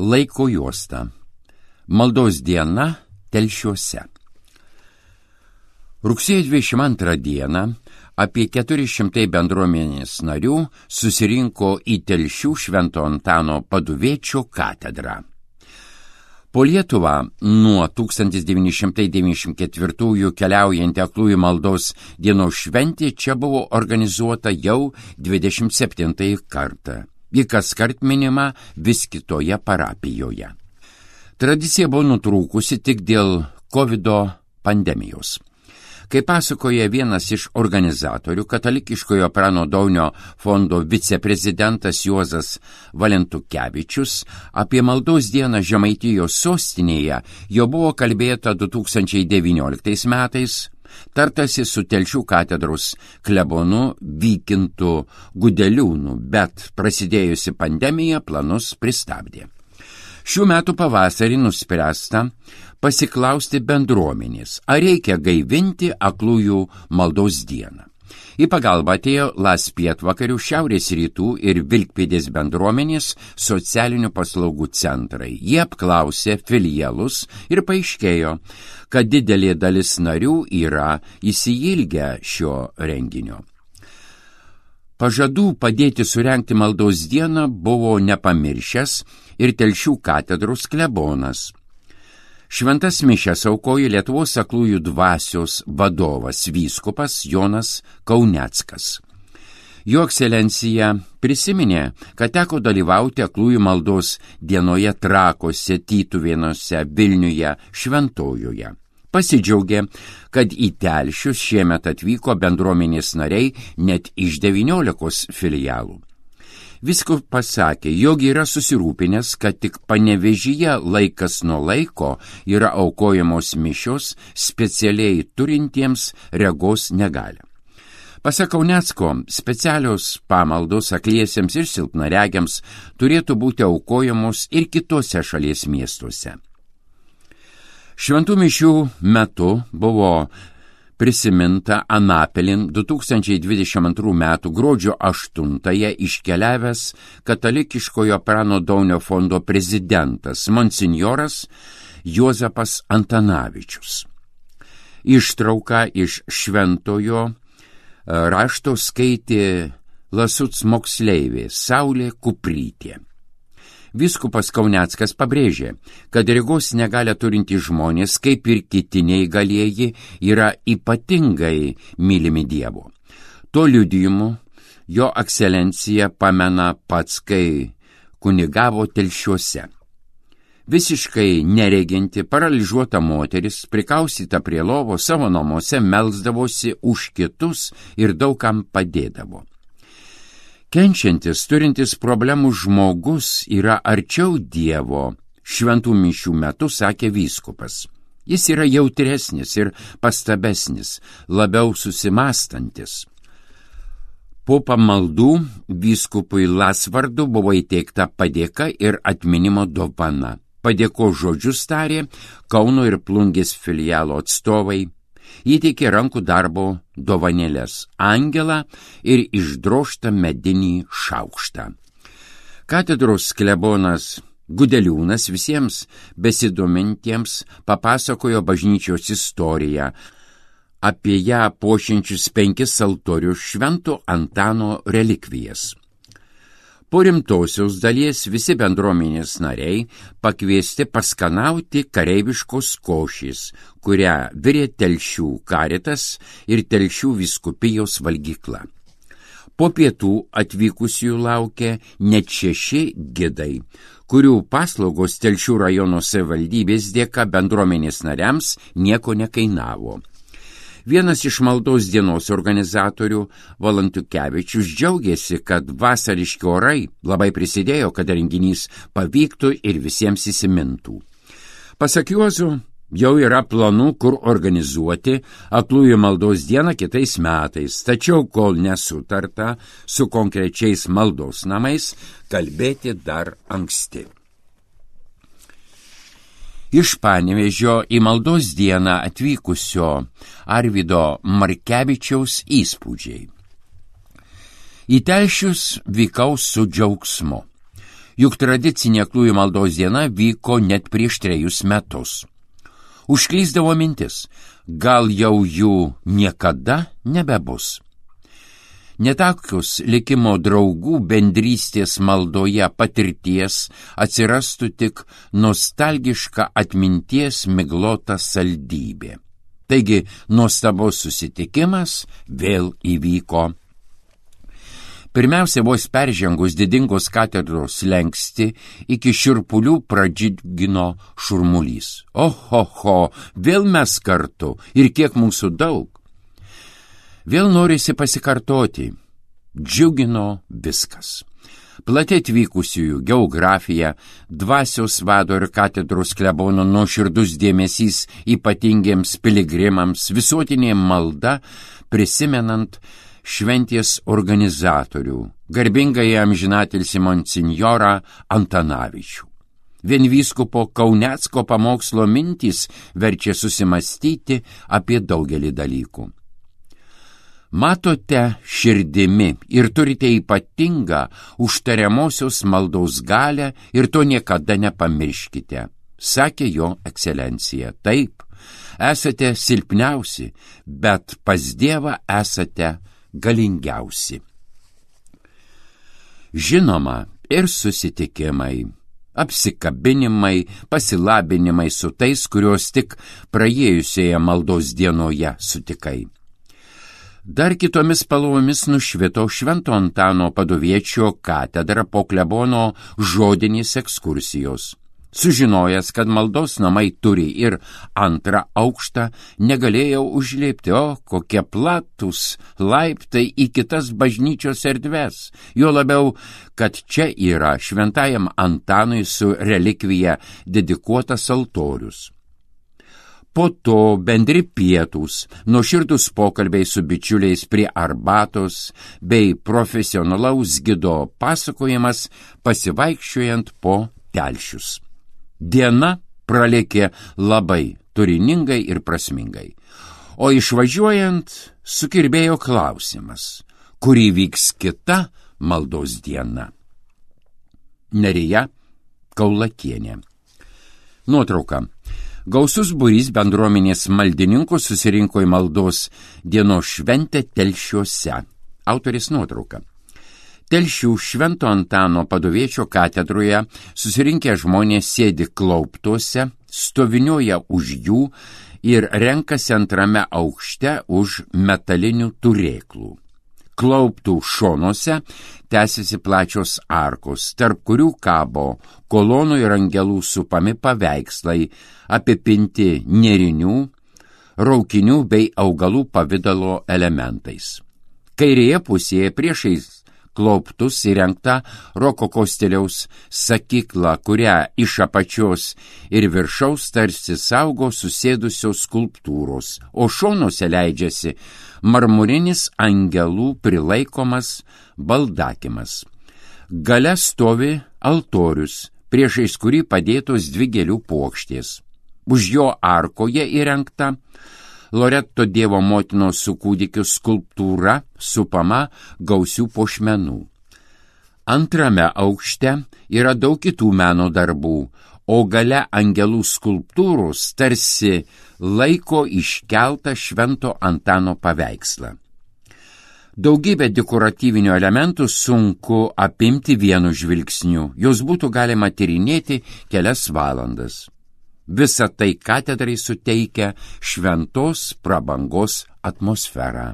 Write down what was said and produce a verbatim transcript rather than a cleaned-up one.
Laiko juosta. Maldos diena Telšiuose. Rugsėjo dvidešimt antrą dieną apie keturi šimtai bendruomenės narių susirinko į Telšių Švento Antano Paduviečio katedrą. Po Lietuvą nuo tūkstantis devyni šimtai devyniasdešimt ketvirtųjų keliaujanti aklųjų maldos dienos šventė čia buvo organizuota jau dvidešimt septintąjį kartą. Ji kaskart minima vis kitoje parapijoje. Tradicija buvo nutrūkusi tik dėl kovido pandemijos. Kaip pasakoja vienas iš organizatorių, katalikiškojo Prano Daunio fondo viceprezidentas Juozas Valentukevičius, apie maldos dieną Žemaitijos sostinėje jau buvo kalbėta du tūkstančiai devynioliktais metais, tartasi su Telšių katedros klebonu Vykintu Gudeliūnu, bet prasidėjusi pandemija planus pristabdė. Šių metų pavasarį nuspręsta pasiklausti bendruomenės, ar reikia gaivinti aklųjų maldos dieną. Į pagalbą atėjo Las Pietvakarių, Šiaurės rytų ir Vilkpėdės bendruomenės socialinių paslaugų centrai. Jie apklausė filialus ir paaiškėjo, kad didelė dalis narių yra įsiilgę šio renginio. Pažadų padėti surengti maldos dieną buvo nepamiršęs ir Telšių katedros klebonas. Šventas mišias aukojo Lietuvos aklųjų dvasios vadovas vyskupas Jonas Kauneckas. Jo ekscelencija prisiminė, kad teko dalyvauti aklųjų maldos dienoje Trakuose, Tytuvėnuose, Vilniuje, Šventojoje. Pasidžiaugė, kad į Telšius šiemet atvyko bendruomenės nariai net iš devyniolikos filialų. Vyskupas pasakė, jog yra susirūpinęs, kad tik Panevėžyje laikas nuo laiko yra aukojamos mišios specialiai turintiems regos negalią. Pasak Kaunecko, specialios pamaldos akliesiems ir silpnaregiams turėtų būti aukojamos ir kitose šalies miestuose. Šventų mišių metu buvo prisiminta Anapilin du tūkstančiai dvidešimt antrų metų gruodžio aštuntąją iškeliavęs katalikiškojo Prano Daunio fondo prezidentas monsinjoras Juozapas Antanavičius. Ištrauką iš šventojo rašto skaitė Lasuc moksleivė Saulė Kuprytė. Vyskupas Kauneckas pabrėžė, kad regos negalią turintys žmonės, kaip ir kiti neįgalieji, yra ypatingai mylimi Dievo. To liudijimu jo ekscelencija pamena pats, kai kunigavo Telšiuose. Visiškai nereginti, paralyžiuota moteris, prikaustyta prie lovo, savo namuose melsdavosi už kitus ir daug kam padėdavo. Kenčiantis, turintis problemų žmogus yra arčiau Dievo, šventų mišių metu sakė vyskupas. Jis yra jautresnis ir pastabesnis, labiau susimastantis. Po pamaldų vyskupui Lasvardu buvo įteikta padėka ir atminimo dovana. Padėko žodžius tarė Kauno ir Plungės filialo atstovai. Įteikė rankų darbo dovanėlės angelą ir išdrožtą medinį šaukštą. Katedros klebonas Gudeliūnas visiems besidomintiems papasakojo bažnyčios istoriją, apie ją puošiančius penkis altorius Švento Antano relikvijas. Po rimtosios dalies visi bendruomenės nariai pakviesti paskanauti kareiviškos košės, kurią virė Telšių karitas ir Telšių vyskupijos valgykla. Po pietų atvykusiųjų laukė net šeši gidai, kurių paslaugos Telšių rajono savivaldybės dėka bendruomenės nariams nieko nekainavo. Vienas iš maldos dienos organizatorių, Valentukevičius, džiaugiasi, kad vasariški orai labai prisidėjo, kad renginys pavyktų ir visiems įsimintų. Pasak Juozo, jau yra planų, kur organizuoti aklųjų maldos dieną kitais metais, tačiau kol nesutarta su konkrečiais maldos namais, kalbėti dar anksti. Iš Panevėžio į maldos dieną atvykusio Arvydo Markevičiaus įspūdžiai. Į Telšius vykau su džiaugsmu. juk tradicinė aklųjų maldos diena vyko net prieš trejus metus. Užklysdavo mintis, gal jau jų niekada nebebus. Netakius likimo draugų bendrystės maldoje patirties atsirastų tik nostalgiška atminties miglota saldybė. Taigi, nuostabus susitikimas vėl įvyko. Pirmiausia, vos peržengus didingos katedros slenkstį, iki šiurpulių pradžiugino šurmulys. Ohoho, vėl mes kartu ir kiek mūsų daug. Vėl norisi pasikartoti. Džiugino viskas. Plati atvykusiųjų geografija, dvasios vado ir katedros klebono nuoširdus dėmesys ypatingiems piligrimams, visuotinė malda, prisimenant šventės organizatorių, garbingai amžinatilsį monsinjorą Antanavičių. Vien vyskupo Kaunecko pamokslo mintys verčia susimastyti apie daugelį dalykų. Matote širdimi ir turite ypatingą užtariamosios maldos galią ir to niekada nepamirškite, sakė jo ekscelencija. Taip, esate silpniausi, bet pas Dievą esate galingiausi. Žinoma, ir susitikimai, apsikabinimai, pasilabinimai su tais, kuriuos tik praėjusioje maldos dienoje sutikai. Dar kitomis spalvomis nušvito Švento Antano Paduviečio katedra po klebono žodinės ekskursijos. Sužinojęs, kad maldos namai turi ir antrą aukštą, negalėjau užlipti, o kokie platus laiptai į kitas bažnyčios erdves. Jo labiau, kad čia yra Šventajam Antanui su relikvija dedikuotas altorius. Po to bendri pietūs, nuoširdūs pokalbiai su bičiuliais prie arbatos bei profesionalaus gido pasakojimas pasivaikščiojant po telšius. Diena pralėkė labai turiningai ir prasmingai, o išvažiuojant sukirbėjo klausimas, kur įvyks kita maldos diena. Nerija Kaulakienė. Nuotrauka. Gausus būrys bendruomenės maldininkų susirinko į maldos dienos šventę Telšiuose. Autorės nuotrauka. Telšių Švento Antano Paduviečio katedroje susirinkę žmonės sėdi klauptuose, stoviniuoja už jų ir renkasi antrame aukšte už metalinių turėklų. Klauptų šonuose tęsiasi plačios arkos, tarp kurių kabo kolonų ir angelų supami paveikslai, apipinti nėrinių, raukinių bei augalų pavidalo elementais. Kairėje pusėje priešais klauptus įrengta rokoko stiliaus sakykla, kurią iš apačios ir viršaus tarsi saugo susėdusios skulptūros, o šonuose leidžiasi marmurinis angelų prilaikomas baldakimas. Gale stovi altorius, priešais kurį padėtos dvi gėlių puokštės. Už jo arkoje įrengta Loreto Dievo motinos su kūdikiu skulptūra supama gausių puošmenų. Antrame aukšte yra daug kitų meno darbų, o gale angelų skulptūros tarsi laiko iškeltą Švento Antano paveikslą. Daugybę dekoratyvinių elementų sunku apimti vienu žvilgsniu, jos būtų galima tyrinėti kelias valandas. Visa tai katedrai suteikia šventos prabangos atmosferą.